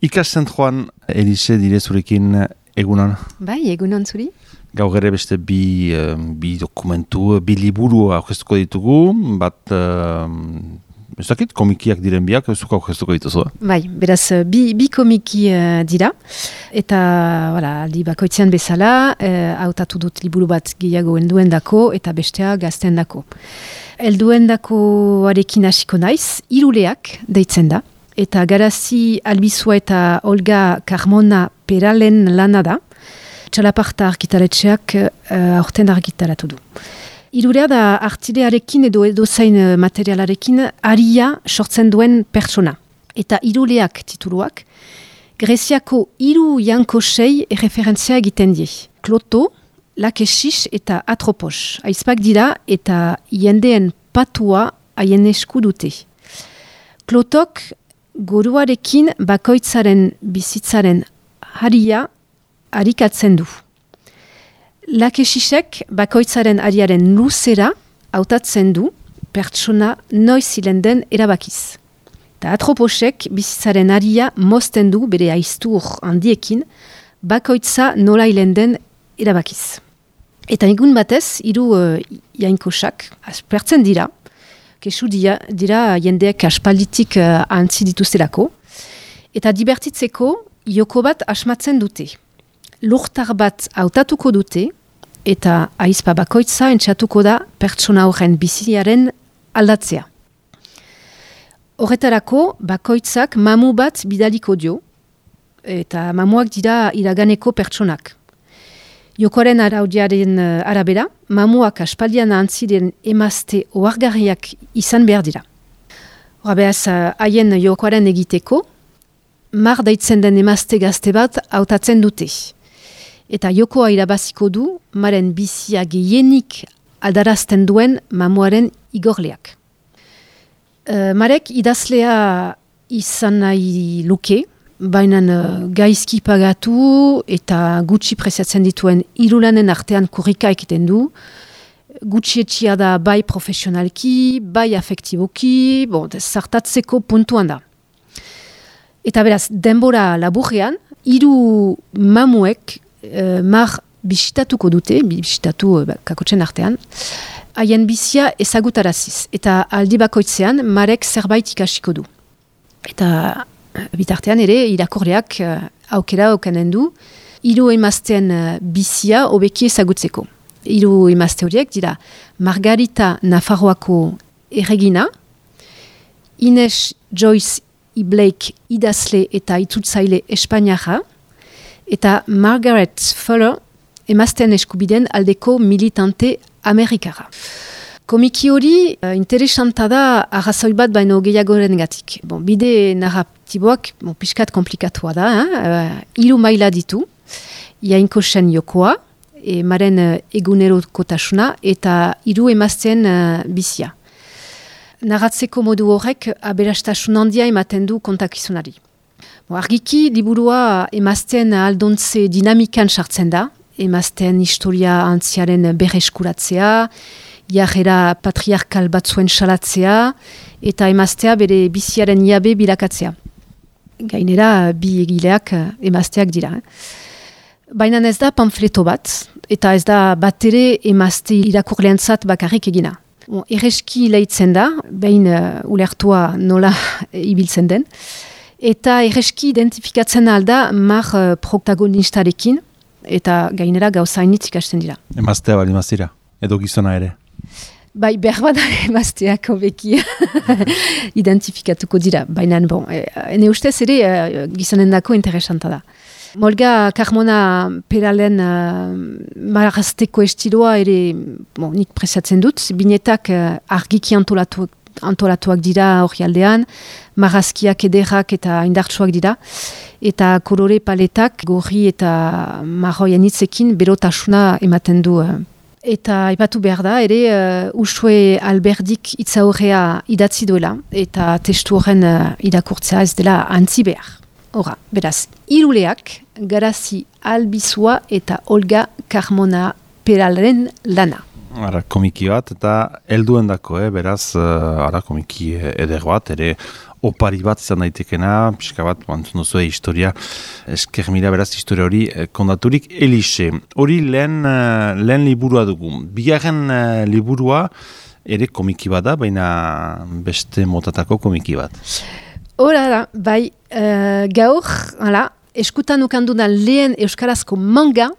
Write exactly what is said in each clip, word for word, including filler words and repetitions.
Ikaszentroan, Elise, dire zurekin egunon? Bai, egunon zuri. Gaur ere beste bi, uh, bi dokumentu, bi liburu aurkeztuko ditugu, bat, uh, ez dakit, komikiak diren biak, zuka aurkeztuko dituzu. Bai, beraz, bi, bi komiki uh, dira, eta voilà, aldi bakoitzean bezala, uh, hautatu dut liburu bat gehiago helduendako eta bestea gazteendako. Helduendako arekin hasiko naiz, Iruleak deitzen da, eta Garazi Albizua eta Olga Carmona Peralen lana da, Txalaparta argitaletxeak uh, aurten argitaratu du. Irulea da artilearekin edo edozain materialarekin aria sortzen duen pertsona. Eta Iruleak tituluak, Greziako hiru jankosei erreferentzia egiten die. Kloto, Lakesis eta Atropos. Aizpak dira eta jendeen patua haien esku dute. Klotok goruarekin bakoitzaren bizitzaren haria harikatzen du. Lakesisek bakoitzaren ariaren luzera hautatzen du pertsona noiz hilen den erabakiz. Ta Atroposek bizitzaren aria mozten du bere aiztur handiekin bakoitza nola hilen den erabakiz. Eta egun batez, hiru uh, jainkosak aspertzen dira, kesu dira, dira jendeak aspalditik uh, antzi dituztelako, eta dibertitzeko joko bat asmatzen dute. Lurtar bat hautatuko dute, eta aizpa bakoitza entxatuko da pertsona horren biziaren aldatzea. Horretarako, bakoitzak mamu bat bidaliko dio, eta mamuak dira iraganeko pertsonak. Jokoaren araudiaren arabera, mamuak aspaldian antziren emazte ohargarriak izan behar dira. Horabez, haien jokoaren egiteko, mar daitzen den emazte gazte bat hautatzen dute. Eta jokoa irabaziko du, maren bizia gehienik aldarazten duen mamuaren igorleak. E, Marek idazlea izan nahi luke, baina gaizki pagatu eta gutxi preziatzen dituen irulanen artean kurrika ekiten du. Gutxi etxia da bai profesionalki, bai afektiboki, bon, zartatzeko puntuan da. Eta beraz, denbora laburrean, hiru mamuek Uh, mar bisitatuko dute, bisitatu uh, kakotzen artean, haien bizia ezagutaraziz. Eta aldi bakoitzean, marek zerbait ikasiko du. Eta uh, bitartean ere, irakorreak uh, aukera okanen du, hiru emazteen uh, bizia hobeki ezagutzeko. Hiru emazte horiek dira Margarita Nafarroako erregina, Ines Joyce Iblake idazle eta itzultzaile Espainiara, eta Margaret Fuller emazten eskubiden aldeko militante amerikara. Komiki hori uh, interesanta da arrazoi bat baino gehiagoren gatik. Bon, bide narratiboak bon, piskat komplikatua da, uh, hiru maila ditu, jainkosen jokoa, e, maren uh, egunerokotasuna eta hiru emazten uh, bizia. Narratzeko modu horrek aberastasun handia ematen du kontakizunari. Argiki, liburua emazten aldontze dinamikan sartzen da, emazten historia antziaren berreskuratzea, jarrera patriarkal batzuen salatzea, eta emaztea bere biziaren jabe bilakatzea. Gainera, bi egileak emazteak dira. Baina ez da pamfleto bat, eta ez da bat ere emazte irakurleantzat bakarrik egina. Bon, erreski lehitzen da, behin uh, ulertua nola ibiltzen den, eta erreski identifikatzen alda mar uh, protagonistarekin, eta gainera gauzainitz ikasten dira. Emaztea bali mazira, edo gizona ere? Bai, berbada emazteak hobeki identifikatuko dira, baina bon, e, ene ustez ere uh, gizonendako interesanta da. Olga Carmona Peralen uh, marazteko estiloa ere bon, nik presatzen dut, binetak uh, argiki antolatu antolatuak dira hori aldean, marazkiak ederrak eta indartsuak dira, eta kolore paletak gorri eta marroien hitzekin berotasuna ematen du. Eta aipatu behar da, ere uh, Usue Alberdik hitza horrea idatzi duela, eta testu horren uh, irakurtzea ez dela antzi behar. Hora, beraz, Iruleak, Garazi Albizua eta Olga Carmona Peralen lana. Ara, komiki bat, eta helduen dako, eh? Beraz, uh, ara, komiki eder bat, ere opari bat izan daitekena, pixka bat, antzun duzu historia, esker mila beraz historia hori kondaturik Elixe. Hori lehen, lehen liburua dugu. Bigarren liburua ere komiki bat da, baina beste motatako komiki bat. Hora da, bai, uh, gaur, hala, eskutan ukandudan lehen euskarazko manga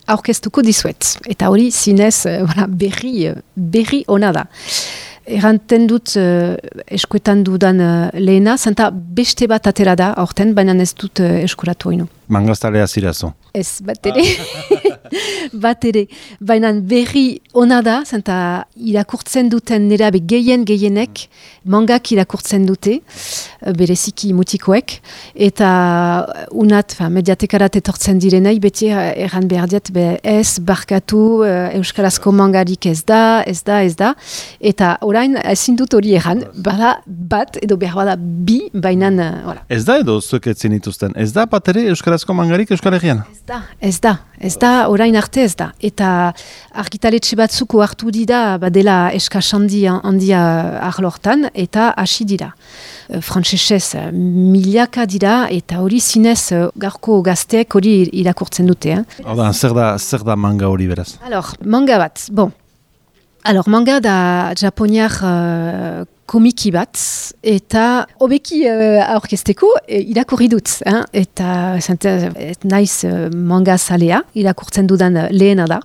aurkeztuko dizuet. Eta hori zinez uh, voilà, berri, berri ona da. Erranten dut uh, eskuetan dudan uh, lehena, zenta beste bat atera da aurten, baina ez dut uh, eskuratu hainu. Mangaztalea zirazo. Ez, bat ere. bat ere. Baina berri ona da, zenta irakurtzen duten nerabe gehien gehienek, mangak irakurtzen dute, bereziki mutikoek, eta unat, fa, mediatekarat etortzen direnei, beti erran behar diat, be, ez, barkatu, euskarazko mangarik ez da, ez da, ez da, eta orain ezin dut hori erran, bada bat, edo behar bada bi, baina, voilà. Ez da edo zuek etzen dituzten, ez da bat ere euskarazko mangarik Euskal Herrian? Ez da, ez da, ez da, orain arte ez da. Eta argitaletxe batzuko hartu dira, badela eskas handia, handia arlortan, eta hasi dira. Frantsesez milaka dira, eta hori zinez garko gazteek hori irakurtzen dute. Eh? Oda, zer da, zer da manga hori beraz? Alors, manga bat, bon. Alors, manga da japoniar uh, komiki bat, eta hobeki uh, aurkezteko uh, irakurri dut. Hein? Eta zente, et naiz uh, manga zalea, irakurtzen dudan uh, lehena da.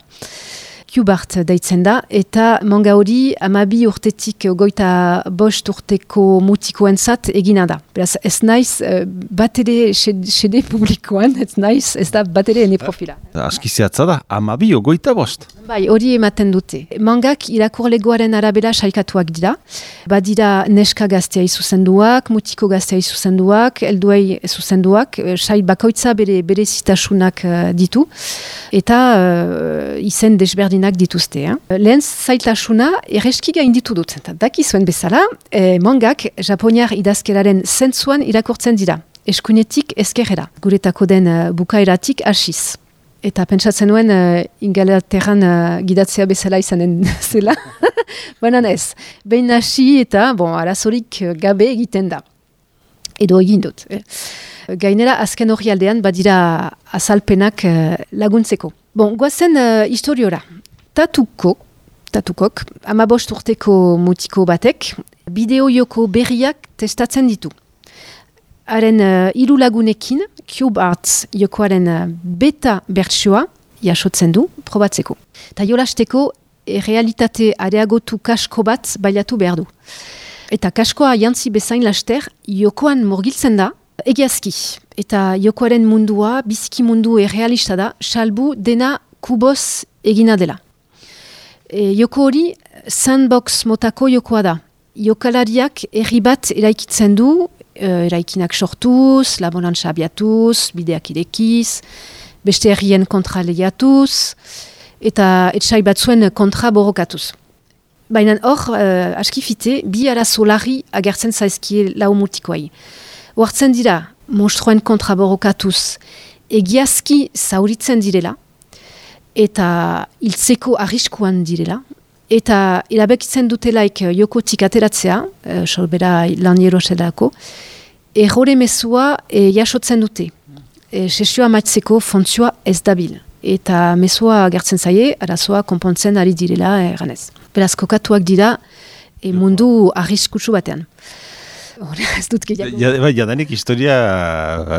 Kubart deitzen da, eta manga hori amabi urtetik goita bost urteko mutikoentzat egina da. Beraz, ez naiz uh, bat ere sede publikoan, ez naiz, ez da bat ere ene profila. Askiziatza da, amabi goita bost. Bai, hori ematen dute. Mangak irakurlegoaren arabera sailkatuak dira. Badira neska gaztea izuzenduak, mutiko gaztea izuzenduak, helduei zuzenduak, sail bakoitza bere, bere zitasunak uh, ditu, eta uh, izen desberdinak dituzte. Eh? Lehen zailtasuna erreski gain ditu dut. Daki zuen bezala, eh, mangak japoniar idazkeraren zentzuan irakurtzen dira. Eskuinetik ezkerrera. Guretako den uh, bukaeratik hasiz. Eta pentsatzen nuen uh, Ingalaterran uh, gidatzea bezala izanen zela. Baina ez. Behin hasi eta, bon, arazorik gabe egiten da. Edo egin dut. Eh. Gainera, azken hori aldean, badira azalpenak uh, laguntzeko. Bon, goazen uh, historiora. Tatuko, tatukok, amabost urteko mutiko batek, bideo-joko berriak testatzen ditu. Haren uh, hiru lagunekin, Cube Arts jokoaren uh, beta bertsioa jasotzen du, probatzeko. Ta jolasteko, e, realitate areagotu kasko bat bailatu behar du. Eta kaskoa jantzi bezain laster, jokoan murgiltzen da, egiazki. Eta jokoaren mundua, biziki mundu errealista da, salbu dena kuboz egina dela. E, joko hori, sandbox motako jokoa da. Jokalariak herri bat eraikitzen du, eraikinak sortuz, laborantza abiatuz, bideak irekiz, beste herrien kontra lehiatuz, eta etxai batzuen kontra borrokatuz. Baina hor, uh, askifite, bi arazo larri agertzen zaizkie lau mutikoai. Hoartzen dira, monstruen kontra borrokatuz, egiazki zauritzen direla, eta hiltzeko arriskuan direla, eta erabekitzen dutelaik jokotik ateratzea, e, solbera laniero sedako, errore mezua e, jasotzen dute. E, sesioa maitzeko fontzioa ez dabil. Eta mezua gertzen zaie, arazoa konpontzen ari direla erganez. Beraz, kokatuak dira e, mundu arriskutsu batean. Hora, ez dut gehiago. Ja, ja, jadanik historia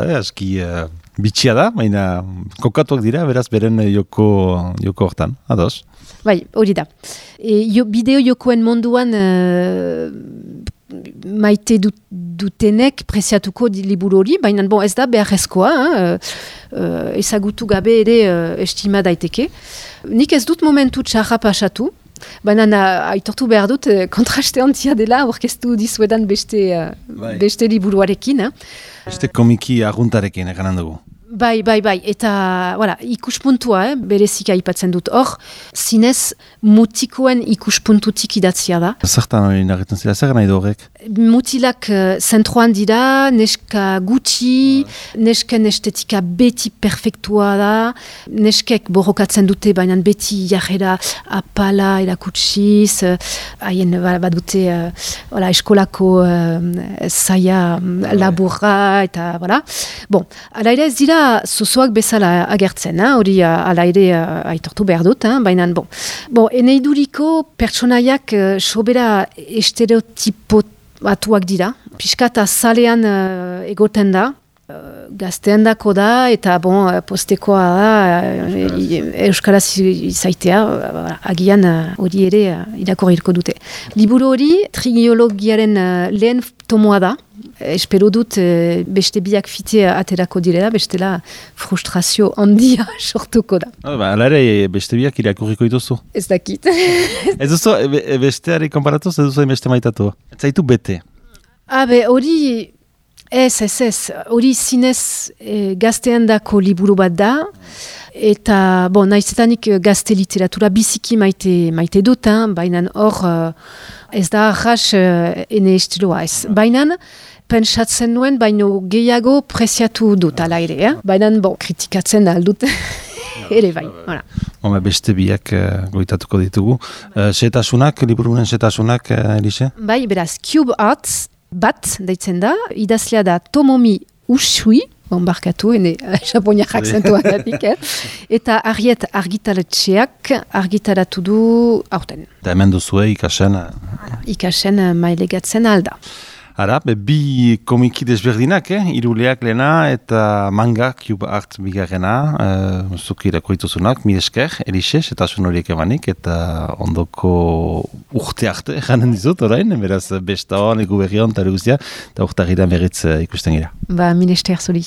eh, aski uh, bitxia da, baina kokatuak dira, beraz beren joko, joko hortan, ados. Bai, hori da. E, jo, bideo jokoen munduan uh, maite dut, dutenek preziatuko liburu hori, baina bon, ez da beharrezkoa, uh, uh, ezagutu gabe ere uh, estima daiteke. Nik ez dut momentu txarra pasatu, baina aitortu behar dut uh, kontraste handia dela orkestu dizuedan beste, uh, beste liburuarekin. Eh? Beste komiki arguntarekin eganan dugu. Bai, bai, bai, eta voilà, ikuspuntua, eh, berezik aipatzen dut. Hor, zinez mutikoen ikuspuntutik idatzia da. Zertan hori nagetan zira, zer nahi du horrek? mutilak uh, zentroan dira, neska gutxi, nesken estetika beti perfektua da, neskek borrokatzen dute, baina beti jarrera apala erakutsiz, haien uh, bat dute uh, voilà, eskolako uh, zaia laburra, eta voilà. Bon, ala ere ez dira zozoak bezala agertzen, hori uh, ala ere uh, aitortu behar dut, hein, baina bon. Bon, eneiduriko pertsonaiak uh, sobera estereotipot batuak dira, pixkat azalean uh, egoten da, uh, gaztean dako da, eta bon, postekoa da, uh, euskaraz izaitea, uh, agian hori uh, ere uh, irakorriko dute. Liburu hori, trigiologiaren uh, lehen tomoa da, espero dut uh, beste biak fite aterako direla, bestela frustrazio handia sortuko da. Hala ba, ere, beste biak irakurriko dituzu? Ez dakit. Ez duzu, e, besteari konparatuz, ez duzu beste maitatu? Ez zaitu bete? Habe, hori, ez, ez, ez, hori zinez e, gaztean dako liburu bat da, eta, bon, naizetanik gazte literatura biziki maite, maite dut, hein, baina hor, ez da arras ene estiloa ez. Baina, pentsatzen nuen, baino gehiago preziatu dut, ala ere, eh? Baina, bon, kritikatzen aldut. Ere bai, voilà. Home, beste biak uh, goitatuko ditugu. Uh, setasunak, liburunen setasunak, uh, Elise? Bai, beraz, Cube Arts bat, deitzen da, idazlea da Tomomi Ushui, bonbarkatu, ene japoniak akzentuan datik, eh? Eta Ariet argitaletxeak argitaratu du aurten. Eta hemen duzue ikasen? Ikasen mailegatzen alda. Ara, be, bi komiki desberdinak, eh? Iruleak lehena eta manga, Cube Art bigarrena, uh, zuki irakurituzunak, mil esker, Elise, setasun horiek emanik, eta ondoko urte arte, janen dizut, orain, beraz, besta hon, egu berri hon, eta urtarrian berriz uh, ikusten gira. Ba, mil esker zuri.